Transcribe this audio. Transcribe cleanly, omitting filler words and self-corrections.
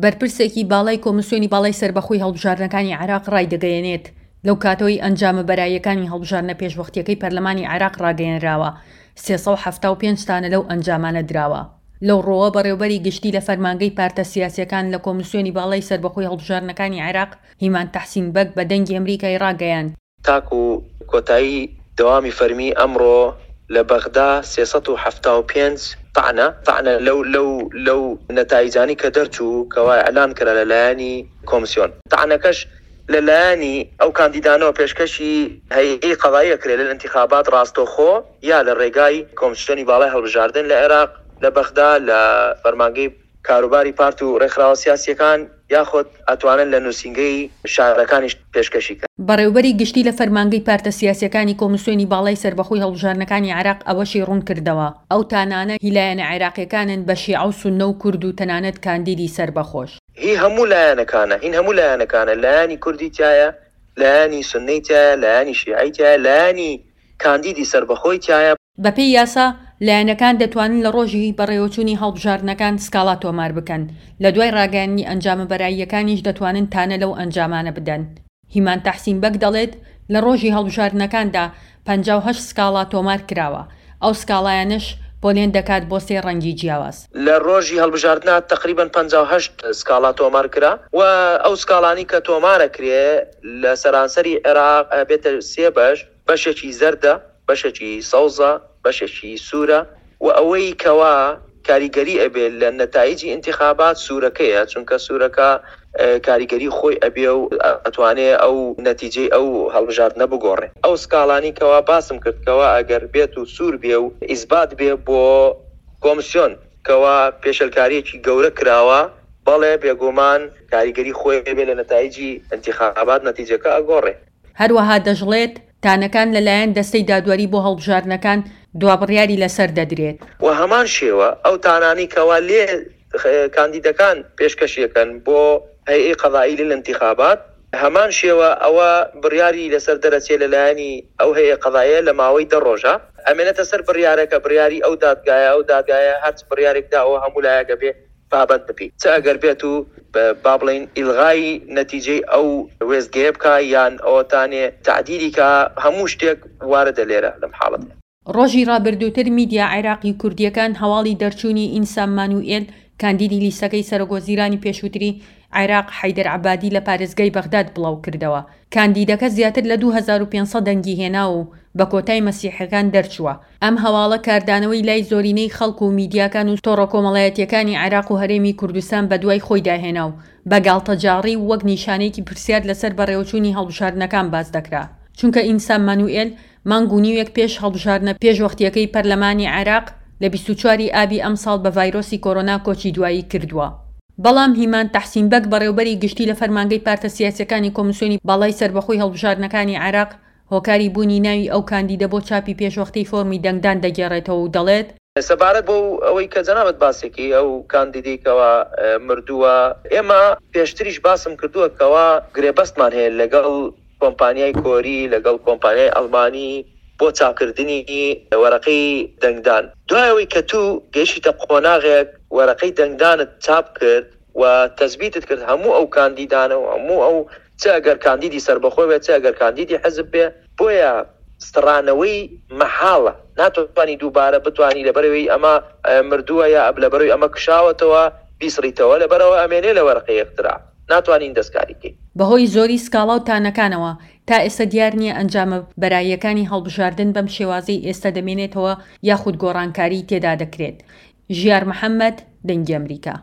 بەرپرسێکی باڵای کۆمیسیۆنی باڵای سەربەخۆی هەڵبژاردنەکانی عێراق ڕایدەگەیەنێت، لەو کاتەوەی ئەنجامە بەراییەکانی هەڵبژاردنە پێشوەختییەکەی پەرلەمانی عێراق ڕاگەیەنراوە، 375 تانە لەو ئەنجامانە دراوە. لەو ڕووەوە بەڕێوەبەری گشتی لە فەرمانگەی پارتە سیاسییەکان لە کۆمیسیۆنی باڵای سەربەخۆی هەڵبژاردنەکانی عێراق، هیمان تەحسین بەگ بە دەنگی ئەمریکای ڕاگەیاند، تاکو کۆتایی دەوامی فەرمی ئەمڕۆ لە بەغدا 375 تەعنە تەعنە لەو لەو لەو نەتایجانەی کە دەرچوو کەوا ئیعلان کرا لە لایەنی کۆمسیۆن تەعنەکەش لە لایەنی ئەو کاندیدانەوە پێشکەشی هەیئەی قەزایی ئەکرێ للانتخابات ڕاستەوخۆ یا لە ڕێگای کۆمسیۆنی باڵای هەڵبژاردن لە عێراق لە بەغدا لە فەرمانگەی کاروباری پارت و ڕێکخراوە سیاسییەکان یاخود ئەتوانن لە نووسینگەی شارەکانیش پێشکەشی کەن. بەڕێوبەری گشتی لە فەرمانگەی پارتە سیاسییەکانی کۆمیسیۆنی باڵای سەربەخۆی هەڵبژاردنەکانی عێراق ئەوەشی ڕوونکردەوە، ئەو تانانە هی لایەنە عێراقییەکانن بە شیعە و سوننە و کورد و تەنانەت کاندیدی سەربەخۆش. هی هەموو لایەنەکانە، هین هەموو لایەنەکانە، لایەنی کوردی تیایە، لایەنی سوننەی تیایە، لایەنی شیعەی تیایە، لایەنی کاندیدی سەربەخۆی تیایە. بەپێی یاسا، لایەنەکان دەتوانن لە ڕۆژی بەڕێوەچوونی هەڵبژاردنەکان سکاڵا تۆمار بکەن، لە دوای ڕاگەیاندنی ئەنجامە بەراییەکانیش دەتوانن تانە لەو ئەنجامانە بدەن. هیمان تەحسین بەگ دەڵێت، لە ڕۆژی هەڵبژاردنەکاندا 58 سکاڵا تۆمار کراوە، ئەو سکاڵایانەش پۆلێن دەکات بۆ سێ ڕەنگی جیاواز. لە ڕۆژی هەڵبژاردنا تەقریبەن 58 سکاڵا تۆمار کرا و ئەو سکاڵانەی کە تۆمارەکرێ لە سەرانسەری عێراق ئەبێتە سێ بەش، بەشێکی زەردە، بەشێکی سەوزە، بەشێکی سوورە و ئەوەی کەوا کاریگەری ئەبێ لە نەتایجی ئینتیخابات سوورەکەیە، چونکە سوورەکە کاریگەری خۆی ئەبێ و ئەتوانێ ئەو نەتیجەی ئەو هەڵبژاردنە بگۆڕێ. ئەو سکاڵانەی کەوا باسم کرد کەوا ئەگەر بێت و سوور بێ و ئیسبات بێ بۆ کۆمسیۆن کەوا پێشێلکارییەکی گەورە کراوە، بەڵێ بێگومان کاریگەری خۆی ئەبێ لە نەتایجی ئینتیخابات نەتیجەکە ئەگۆڕێ. هەروەها دەشڵێت، تانەکان لەلایەن دەستەی دادوەری بۆ هەڵبژاردنەکان دوابڕیاری لەسەر دەدرێت. وە هەمان شێوە ئەو تانانەی کەوا لێ کاندیدەکان پێشکەشی ئەکەن بۆ هەیئەی قەزائی للانتخابات هەمان شێوە ئەوە بڕیاری لەسەر دەرەچێ لەلایەنی ئەو هەیئە قەزاییە لە ماوەی دە ڕۆژا ئەمێنێتە سەر بڕیارەکە بڕیاری ئەو دادگایە ئەو دادگایە هەرچ بڕیارێک دا ئەوە هەموو لایەک ئەبێ پابەند ببی چ ئەگەر بێت و با بڵێین ئیلغای نەتیجەی ئەو وێستگەیە بکا یان ئەوەتانێ تەعدیلی کا هەموو شتێک واردە لێرە لەم حاڵەتە. ڕۆژی ڕابردووتر میدیا عێراقی و کوردییەکان هەواڵی دەرچوونی ئینسام مانوئێل کاندیدی لیستەکەی سەرۆکوەزیرانی پێشووتری عێراق حەیدەر عەبادی لە پارێزگای بەغداد بڵاوکردەوە. کاندیدەکە زیاتر لە 2500 دەنگی هێناوە و بە کۆتای مەسیحیەکان دەرچووە. ئەم هەواڵە کاردانەوەی لای زۆرینەی خەڵک و میدیاکان و تۆڕە کۆمەڵایەتییەکانی عێراق و هەرێمی کوردستان بەدوای خۆیدا هێنا و بە گاڵتەجاڕی و وەک نیشانەیەکی پرسیار لەسەر بەڕێوەچوونی هەڵبژاردنەکان باس دەکرا چونکە ئینسام مانوئێل مانگ و نیوێک پێش هەڵبژاردنە پێشوەختییەکەی پەرلەمانی عێراق لە 24 ی ئابی ئەمساڵ بە ڤایرۆسی کۆرۆنا کۆچی دوایی کردووە. بەڵام هیمان تەحسین بەگ بەڕێوبەری گشتی لە فەرمانگەی پارتە سیاسییەکانی کۆمیسیۆنی باڵای سەربەخۆی هەڵبژاردنەکانی عێراق هۆکاری بوونی ناوی ئەو کاندیدە بۆ چاپی پێشوەختەی فۆرمی دەنگدان دەگێڕێتەوە و دەڵێت، سەبارەت بەو ئەوەی کە جەنابت باسێکی ئەو کاندیدەی کەوا مردووە، ئێمە پێشتریش باسم کردووە کەوا گرێبەستمان هەیە لەگەڵ کۆمپانیای کۆری، لەگەڵ کۆمپانیای ئەڵمانی بۆ چاپکردنی وەرەقەی دەنگدان. دوای ئەوەی کە توو گەیشتیتە قۆناغێک وەرەقەی دەنگدانت چاپ کرد و تەسبیتت کرد هەموو ئەو کاندیدانە و هەموو ئەو چ ئەگەر کاندیدی سەربەخۆ بێت چ ئەگەر کاندیدی حزب بێ بۆیە سڕانەوەی مەحاڵە ناتوانی دووبارە بتوانی لەبەرەوەی ئەمە مردووە یا لەبەرەوەی ئەمە کشاوەتەوە بیسڕیتەوە لەبەرەوە ئەمێنێ لە وەرەقەی اقتراع ناتوانین دەستکاری کەین. بەهۆی زۆری سکاڵا و تانەکانەوە تا ئێستا دیار نییە ئەنجامە بەراییەکانی هەڵبژاردن بەم شێوازەی ئێستا دەمێنێتەوە یاخود گۆڕانکاریی تێدا دەکرێت. ژیار محەمەد، دەنگی ئەمریکا.